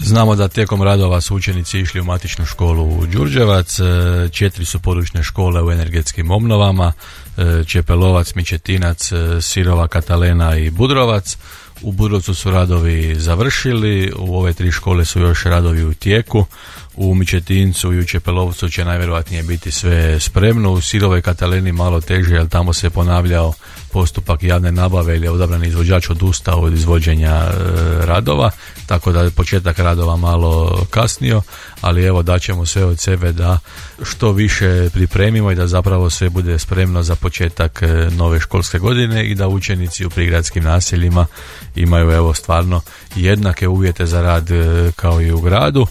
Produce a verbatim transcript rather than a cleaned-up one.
Znamo da tijekom radova su učenici išli u matičnu školu u Đurđevac, četiri su područne škole u energetskim obnovama, Čepelovac, Mičetinac, Sirova, Katalena i Budrovac. U Budrovcu su radovi završili, u ove tri škole su još radovi u tijeku. U Mičetincu i u Čepelovcu će najvjerojatnije biti sve spremno. U Sirovoj Kataleni malo teže, jer tamo se ponavljao postupak javne nabave ili je odabrani izvođač odustao od izvođenja e, radova, tako da je početak radova malo kasnio, ali evo daćemo sve od sebe da što više pripremimo i da zapravo sve bude spremno za početak e, nove školske godine i da učenici u prigradskim naseljima imaju evo stvarno jednake uvjete za rad e, kao i u gradu.